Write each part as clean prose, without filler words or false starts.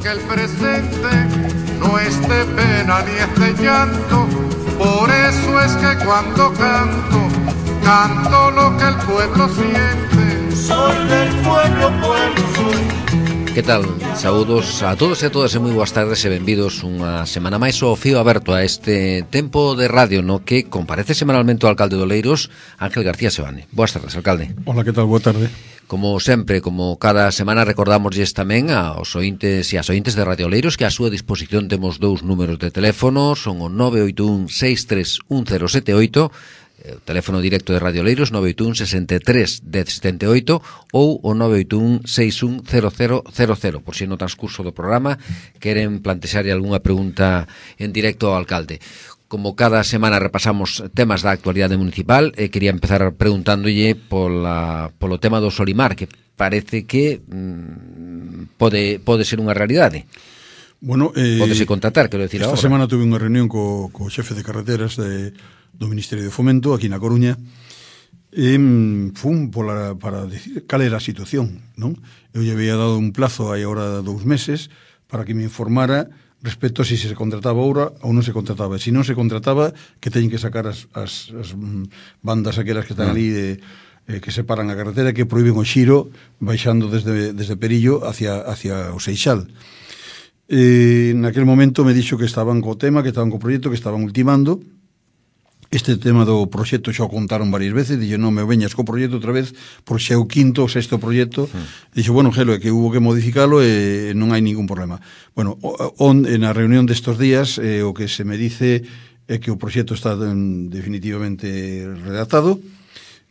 que el presente no es de pena ni es de llanto. Por eso es que cuando canto, canto lo que el pueblo siente. Soy del pueblo, pueblo soy. Que tal? Saúdos a todos e a todas e moi boas tardes e benvidos unha semana máis ao Fío Aberto, a este tempo de radio no que comparece semanalmente o alcalde de Oleiros, Ángel García Sebane. Boas tardes, alcalde. Hola, que tal? Boa tarde. Como sempre, como cada semana, recordamosles tamén aos ointes e as ointes de Radio Oleiros que a súa disposición temos dous números de teléfono, son o 981 631078, o teléfono directo de Radio Oleiros 981 63 1078 ou o 981 610000, por si no transcurso do programa queren plantexarlle algunha pregunta en directo ao alcalde. Como cada semana repasamos temas da actualidade municipal, quería empezar preguntándolle polo tema do Solimar, que parece que pode ser unha realidade. Bueno, pódese contratar, quero decir, esta ahora. semana tuve unha reunión co xefe de carreteras do Ministerio de Fomento aquí na Coruña e fun para decir cal era a situación, non? Eu lle había dado un plazo aí agora 2 meses para que me informara respecto a si se contrataba ahora ou non se contrataba. Se non se contrataba, que teñen que sacar as bandas aquelas que están ali que separan a carretera, que prohíben o xiro baixando desde Perillo hacia o Seixal. Naquel momento me dixo que estaban co tema, que estaban co proxecto, que estaban ultimando. Este tema do proxecto xa o contaron varias veces, dixo, non me veñas co proxecto outra vez, porque xa é o quinto ou sexto proxecto. Dixo, bueno, Gelo, é que hubo que modificalo e non hai ningún problema. Bueno, na reunión destos días, o que se me dice é que o proxecto está definitivamente redactado,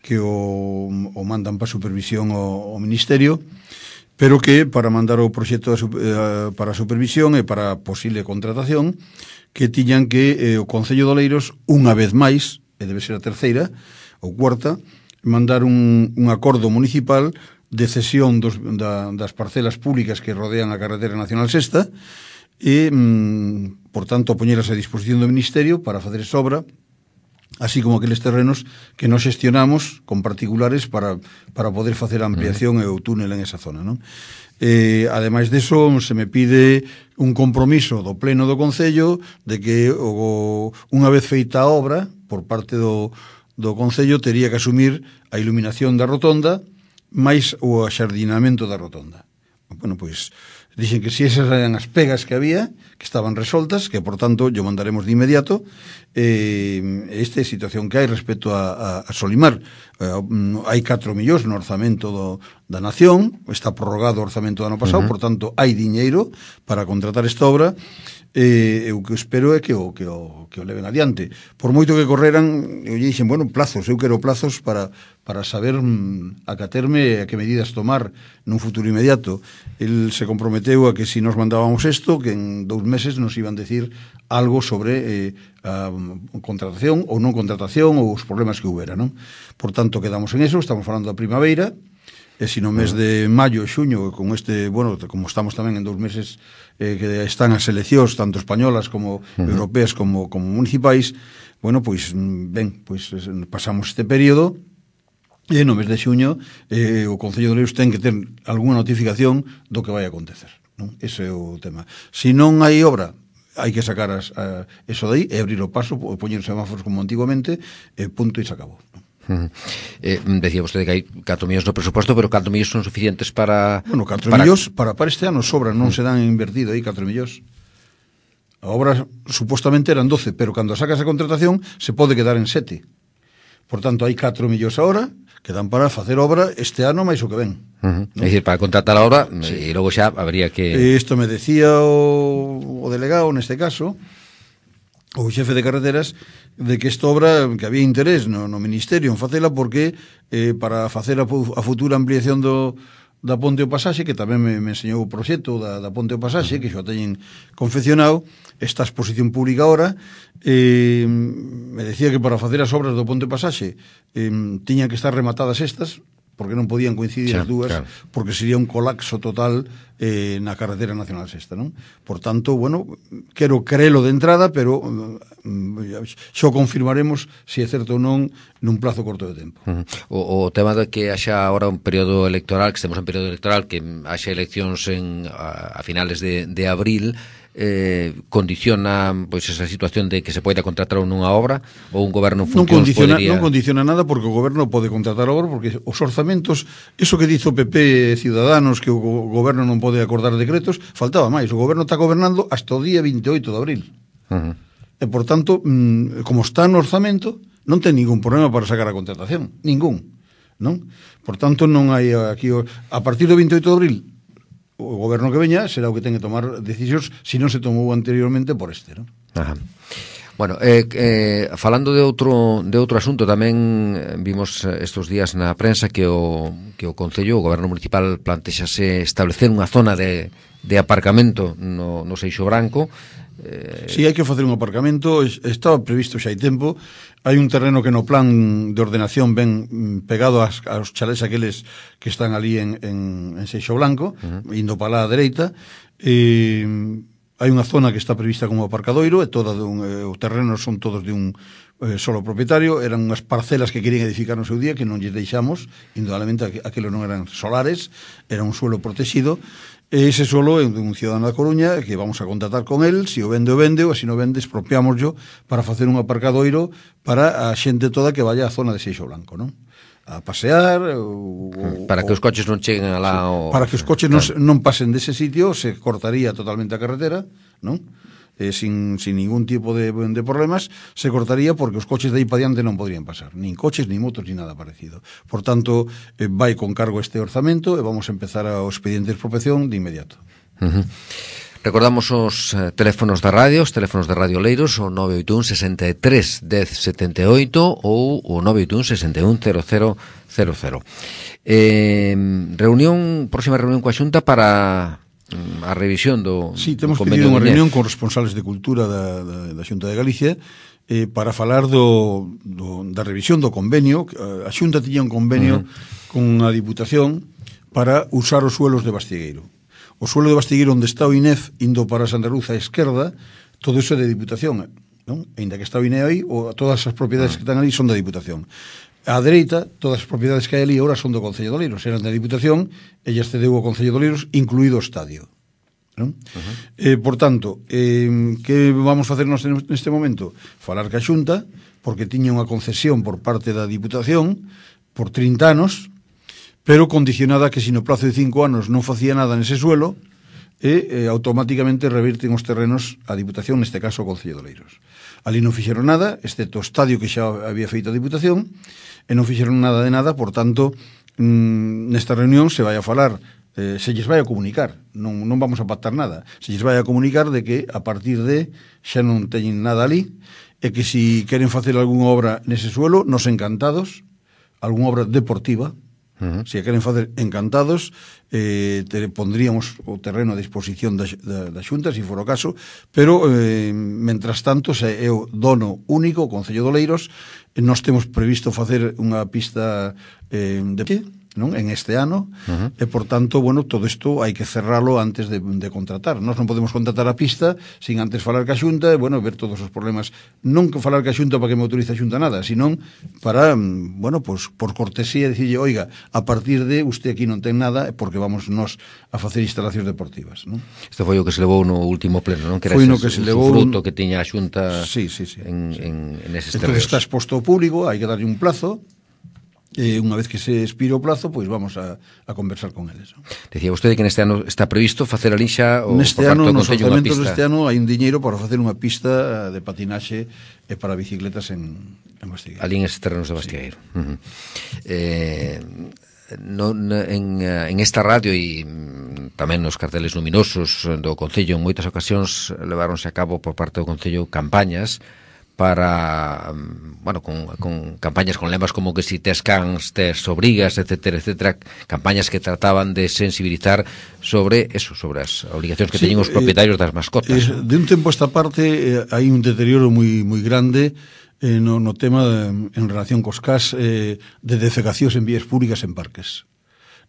que o mandan para supervisión ao Ministerio, pero que para mandar o proxecto para supervisión e para posible contratación, que tiñan que o Concello de Oleiros, unha vez máis, e debe ser a terceira ou cuarta, mandar un acordo municipal de cesión das parcelas públicas que rodean a carretera nacional sexta e, por tanto, poñelas a disposición do Ministerio para facer esa obra, así como aqueles terrenos que nos xestionamos con particulares para poder facer a ampliación e o túnel en esa zona, non? Ademais deso, se me pide un compromiso do Pleno do Concello de que unha vez feita a obra por parte do Concello tería que asumir a iluminación da rotonda máis o axardinamento da rotonda. Bueno, pois dixen que si esas eran as pegas que había, que estaban resoltas, que por tanto yo mandaremos de inmediato esta situación que hai respecto a Solimar. Hai 4 millóns no orzamento da Nación, está prorrogado o orzamento do ano pasado, por tanto hai diñeiro para contratar esta obra. Eu que espero é que o leven adiante. Por moito que correran, eu lle dixen, bueno, plazos, eu quero plazos para saber acaterme a que medidas tomar nun futuro inmediato. El se comprometeu a que si nos mandábamos isto, que en 2 meses nos iban decir algo sobre a contratación ou non contratación ou os problemas que houbera, non? Por tanto, quedamos en eso, estamos falando da primavera, e se no mes de maio e xuño, con bueno, como estamos tamén en 2 meses que están as eleccións, tanto españolas como europeas como municipais, bueno, pois ben, pois pasamos este período e no mes de xuño o Concello de Oleiros ten que ter algunha notificación do que vai acontecer, non? Ese é o tema. Se non hai obra, hai que sacar eso de aí e abrir o paso, poñer semáforos como antigamente, punto e se acabou, non? Decía vostede que hai 4 millóns no presuposto, pero 4 millóns son suficientes para... Bueno, 4 millóns para este ano sobran, non se dan invertido aí 4 millóns. A obra supostamente eran 12, pero cando sacas a contratación se pode quedar en 7. Por tanto, hai 4 millóns ahora que dan para facer obra este ano máis o que ven. ¿No? É dicir, para contratar a obra, e logo xa habría que... Isto me decía o delegado, neste caso, o xefe de carreteras, de que esta obra, que había interés no Ministerio en facela, porque para facer a futura ampliación da Ponte ao Pasaxe, que tamén me enseñou o proxecto da Ponte ao Pasaxe, que xo teñen confeccionado, esta exposición pública ahora, me decía que para facer as obras do Ponte ao Pasaxe tiñan que estar rematadas estas, porque non podían coincidir as dúas, claro. porque sería un colapso total na carretera nacional sexta, non? Por tanto, bueno, quero crelo de entrada, pero xo confirmaremos se é certo ou non nun plazo corto de tempo. O tema de que haxa agora un período electoral, que estemos en período electoral, que haxa eleccións a finales de abril, condiciona pois esa situación de que se poida contratar nunha obra, ou un goberno en funcións podría... Non condiciona nada, porque o goberno pode contratar a obra, porque os orzamentos, eso que dice o PP Ciudadanos, que o goberno non pode acordar decretos, faltaba máis. O goberno está gobernando hasta o día 28 de abril. E, por tanto, como está no orzamento, non ten ningún problema para sacar a contratación. Ningún. Non? Por tanto, non hai aquí... A partir do 28 de abril, o goberno que veña será o que ten que tomar decisións, se non se tomou anteriormente por este, non? Ajá. Bueno, falando de outro asunto, tamén vimos estes días na prensa que o Concello, o Goberno Municipal, plantexase establecer unha zona de aparcamento no Seixo Branco. Si, hai que facer un aparcamento, estaba previsto xa hai tempo. Hai un terreno que no plan de ordenación ven pegado aos chalés aqueles que están ali en Seixo Blanco, indo para lá a dereita. Hai unha zona que está prevista como aparcadoiro, e os terrenos son todos de un solo propietario. Eran unhas parcelas que querían edificar no seu día, que non lles deixamos, indudablemente aqueles non eran solares, era un suelo protegido. E ese suelo é un cidadano da Coruña, que vamos a contratar con el, se o vende, ou se non vende, expropiámoslo para facer un aparcadoiro para a xente toda que vaya á zona de Seixo Blanco, non? A pasear para que os coches non cheguen alá, para que os coches non pasen dese sitio. Se cortaría totalmente a carretera, non? Sin ningún tipo de problemas, se cortaría, porque os coches de aí para diante non podrían pasar, nin coches, nin motos, nin nada parecido. Por tanto, vai con cargo este orzamento, e vamos a empezar o expediente de expropiación de inmediato. Recordamos os teléfonos da radio, os teléfonos de Radio Oleiros, o 981 63 10 78 ou o 981 61 0000. Próxima reunión coa Xunta para a revisión do Sí, temos pedido unha reunión con responsables de cultura da Xunta de Galicia para falar da revisión do convenio. A Xunta tiña un convenio con a Diputación para usar os suelos de Bastigueiro. O suelo de Bastigueiro, onde está o INEF, indo para Santa Cruz á esquerda, todo iso é de Diputación, non? Ainda que está o INEF aí, todas as propiedades que están ali son da Diputación. Á dereita, todas as propiedades que hai ali agora son do Concello de Oleiros, eran da Diputación, e ella cedeu ao Concello de Oleiros, incluído o estadio, non? Por tanto, que vamos facer neste momento? Falar ca Xunta, porque tiña unha concesión por parte da Diputación por 30 anos, pero condicionada que se no plazo de 5 anos non facía nada nese suelo, automáticamente revirten os terrenos a Diputación, neste caso o Concello de Oleiros. Ali non fixeron nada, excepto o estadio que xa había feito a Diputación, e non fixeron nada de nada. Por tanto, nesta reunión se vai a falar, se lles vai a comunicar, non vamos a pactar nada, se lles vai a comunicar de que a partir de xa non teñen nada ali, e que se queren facer algunha obra nese suelo, nos encantados, algunha obra deportiva, se queren facer encantados, pondríamos o terreno a disposición da Xunta, se for o caso, pero mentras tanto se é o dono único, o Concello de Oleiros. Nós temos previsto facer unha pista non en este ano, e por tanto, bueno, todo isto hai que cerralo antes de contratar. Nós non podemos contratar a pista sin antes falar ca Xunta e, bueno, ver todos os problemas. Non que falar ca Xunta para que me autorice a Xunta nada, senón para, bueno, pues por cortesía, dicirlle, oiga, a partir de usted aquí non ten nada, porque vamos nós a facer instalacións deportivas, non? Isto foi o que se levou no último pleno, non? Que era o fruto que tiña a Xunta en eses terreos. Entón está exposto ao público, hai que darlle un plazo. Unha vez que se expire o plazo, pois vamos a conversar con eles. Decía vostede que neste ano está previsto facer ali xa neste ano, nos orzamentos deste ano hai un diñeiro para facer unha pista de patinaxe e para bicicletas en Bastigueiro. Ali en estes terrenos de Bastigueiro. En esta radio e tamén nos carteles luminosos do Concello, en moitas ocasións leváronse a cabo por parte do Concello campañas para, bueno, con campañas con lemas como que si tes cans, tes obrigas, etcétera, etcétera, campañas que trataban de sensibilizar sobre eso, sobre as obligacións que teñen os propietarios das mascotas. De un tempo a esta parte hai un deterioro moi grande no tema en relación cos cas de defecacións en vías públicas en parques,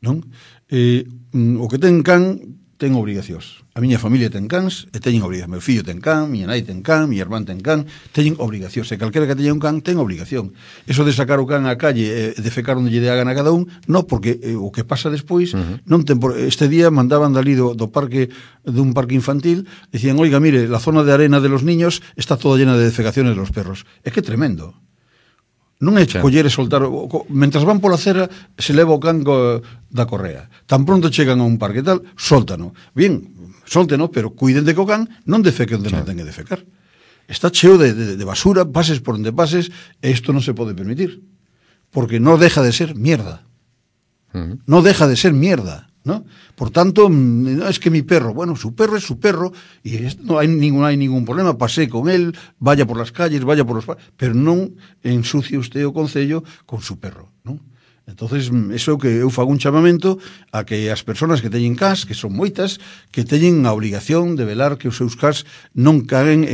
non? O que ten can ten obrigacións. A miña familia ten cans e teñen obrigacións. Meu fillo ten can, miña nai ten can, miña irmán ten can, teñen obrigacións. E calquera que teña un can ten obrigación. Eso de sacar o can á calle e defecar onde lle dé a gana a cada un, non, porque o que pasa despois non ten por... Este día mandaban dali do parque, dun parque infantil, decían, oiga, mire, la zona de arena de los niños está toda llena de defecaciones de los perros. É que tremendo. Non é coller e soltar, mentras van pola acera se leva o can da correa, tan pronto chegan a un parque tal, sóltano, bien, sólteno, pero cuiden de que o can non defeque onde non ten que defecar. Está cheo de basura, pases por onde pases, e isto non se pode permitir, porque non deja de ser mierda, non deja de ser mierda, ¿no? Por tanto, es que mi perro, bueno, su perro es su perro y no hay ningún problema, pasé con él, vaya por las calles, vaya por los... pero non ensucie usted o concello con su perro, ¿no? Entonces, eso que eu fago un chamamento a que as persoas que teñen cas, que son moitas, que teñen a obrigación de velar que os seus cas non caguen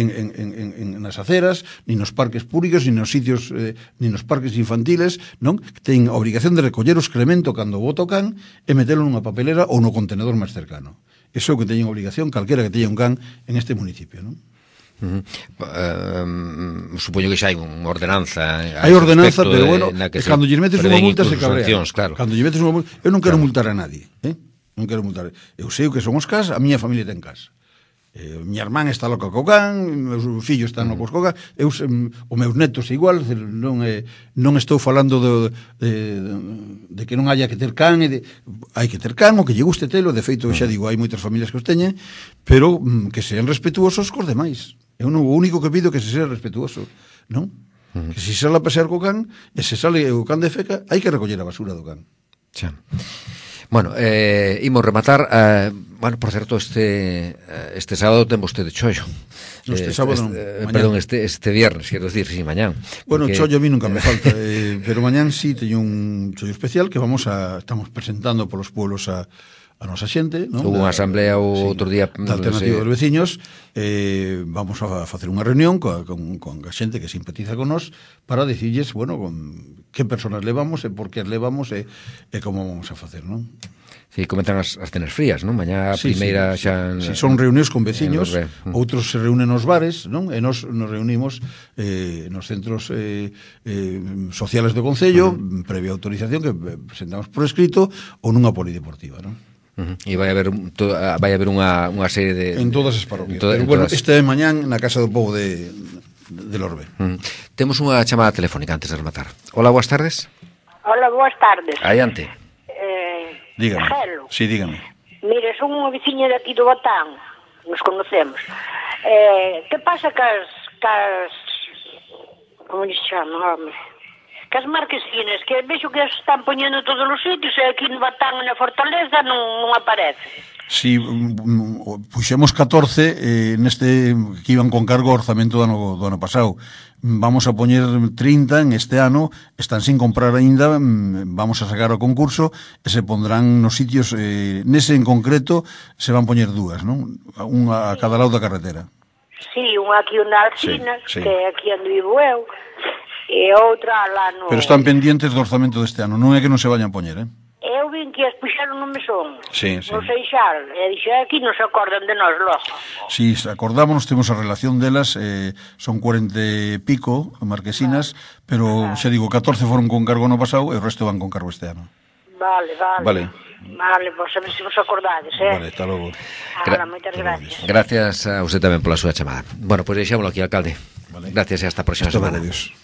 nas aceras, ni nos parques públicos, ni nos sitios, ni nos parques infantiles, non? Que teñen a obrigación de recoller o excremento cando bota o can e metelo nunha papelera ou no contenedor máis cercano. Eso é o que teñen obrigación calquera que teña un can en este municipio, non? Supoño que xa hai unha ordenanza. Hai ordenanza, pero bueno, cando lle metes unha multa se cabrea. Claro. Cando lle metes unha multa, eu non quero multar a nadie, non quero multar. Eu sei o que son os cas, a miña familia ten cas. Miña irmán está loca co can, meus fillos están locos co can, os meus netos igual, non estou falando de que non haya que ter can, hai que ter can, o que lle guste telo, de feito, xa digo, hai moitas familias que os teñen, pero que sean respetuosos cos demais. Eu non, o único que pido que se sea respetuoso, non? Que se sale a pasear co can, e se sale o can de feca, hai que recoller a basura do can. Xa. Bueno, imos rematar. Bueno, por certo, este sábado ten vostede chollo. Este sábado perdón, este viernes, quero decir, sí, mañán. Bueno, porque... chollo a mí nunca me falta, pero mañán sí teño un chollo especial que estamos presentando polos pueblos a nosa xente, non? Hubo unha asamblea outro día da Alternativa dos Veciños. Vamos a facer unha reunión con a xente que simpatiza con nós para dicirles, bueno, con que personas levamos e por que as levamos e como vamos a facer, non? Sí, comentan as cenas frías, non? Mañá a primeira xa... Si son reunións con veciños, outros se reúnen nos bares, non? E nos reunimos nos centros sociales do Concello, previa autorización que presentamos por escrito ou nunha polideportiva, non? E vai haber unha serie de... En todas as parroquias. Pero bueno, este é mañán na Casa do Pobo de Lorbe. Temos unha chamada telefónica antes de rematar. Hola, boas tardes. Hola, boas tardes. Adiante. Dígame. Gelo. Sí, dígame. Mire, son unha veciña de aquí do Batán. Nos conocemos. Que pasa cas como se chama, home? Cas marquesinas, que vexo que as están poñendo todos os sitios e aquí no Batán e na Fortaleza non aparece. Si, puxemos 14 neste que iban con cargo ao orzamento do ano pasado. Vamos a poñer 30 en este ano, están sin comprar aínda, vamos a sacar o concurso e se pondrán nos sitios, nese en concreto se van poñer dúas, non? Unha a cada lado da carretera. Sí, unha aquí na Alcina, sí. Que é aquí onde vivo eu, e outra lá no... Pero están pendientes do orzamento deste ano, non é que non se vayan a poñer, Eu vin que as puxaron no mesón. Sí. No Seixal. E dixo, aquí non se acordan de nós logo. Sí, acordámonos, temos a relación delas, son 40 e pico marquesinas, pero xa digo, 14 foron con cargo no pasado e o resto van con cargo este ano. Vale. Vale, pois a ver se vos acordades, Vale, está logo. Moitas gracias. Gracias a usted tamén pola súa chamada. Bueno, pois deixámoslo aquí, alcalde. Vale. Gracias e hasta a próxima semana. Adiós.